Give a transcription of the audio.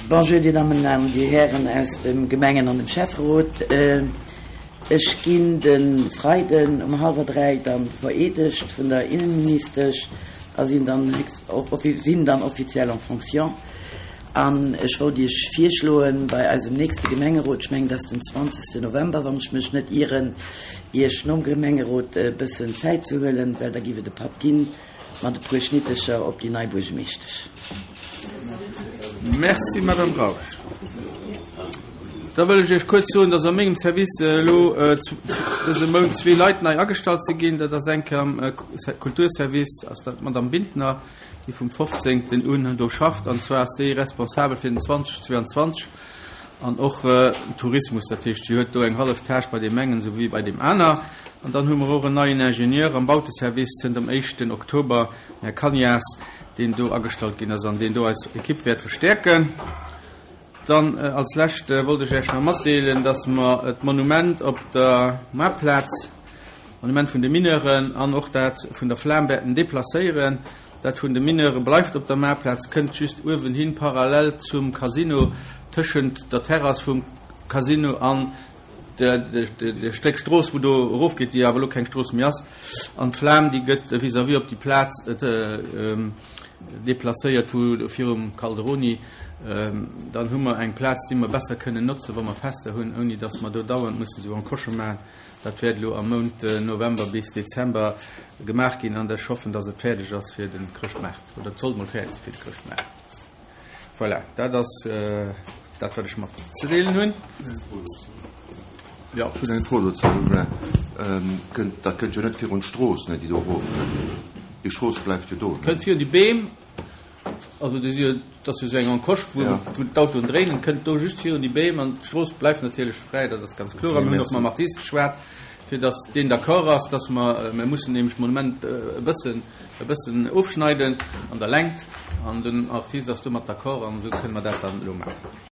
Bonjour, Dir Dammen an Dir Hären aus dem Gemengen an dem Schäfferot. Ech ginn de Freiden um hallwer 3 dann vereedegt vun der Innenministesch a sinn dann sinn dann offiziell en fonction. An ech wollt Iech virschloen, bei eisem nächste Gemengerot, ech mengen, dat ass den 20. November, wann ech mech net ieren, Iech nom Gemengerot e bëssen Zäit ze huelen, well da giff et e Patt ginn mat e puer Schnittecher op déi nei Buergemeeschtesch. Merci, Madame Rausch. Da wëll ech Iech kuerz soen, dass a mengem Service elo dëse Mount zwee Leit nei agestallt si ginn. Dat ass eng Kéier am Kulturservice, ass dat d'Madame Bintner, déi vum 15. un do schafft. An zwar ass déi responsabel fir den 2022 an och Tourismus. Dat heescht, si huet do eng hallef Tâche bei deem engen esou wéi bei deem aner. An dann hu mer och en neien Ingenieur am Bauteservice zënter dem éischten Oktober, den Här Cagnas, deen do agestallt ginn ass an deen do eis Ekipp wäert verstäerken. Dann als lescht wollt ech Iech nach matdeelen, dass mer d'Monument op der Moartplaz, d'Monument vun de Mineuren an och dat vun der Flam wäerten deplacéieren. Dat vun de Mineure bleift op der Moartplaz, kënnt just uewen hin, parallel zum Casino, tëschent der Terrass vum Casino an De Stéck Strooss, wou do erofgeet, déi awer elo keng Strooss méi ass, an d'Flam, déi gëtt vis-à-vis op déi Plaz deplacéiert, wou virum Calderoni. Dann hu mer eng Plaz, déi mer besser kënnen notzen, wa mer Fester hunn, ouni datt mer do dauernd mussen esou Encoche maachen. Dat wäert elo am Mount November bis Dezember gemaach ginn an ech hoffen, datt et fäerdeg ass fir de Chrëschtmaart, oder et sollt mol fäerdeg si fir de Chrëschtmaart. Voilà, dat ass dat, wat ech matzedeelen hunn. Jo. Ech hunn eng Fro dozou. Kënnt, dat kënnt jo net virun d'Strooss, ne, déi do erofkënnt. Déi Strooss bleift jo do, ne? Kënnt virun déi Beem, also déi si jo, dat ass jo esou eng Encoche, wou, wou d'Autoen dréinen, kënnt do just virun déi Beem an d'Strooss bleift natierlech fräi, dat ass ganz kloer. A mir hunn och mam Artist geschwat, fir datt deen d'accord ass, datt mer, mir mussen nämlech d'Monument e bëssen, e bëssen ofschneiden an der Längt an den Artist ass domat d'accord an esou kënne mer dat dann elo maachen.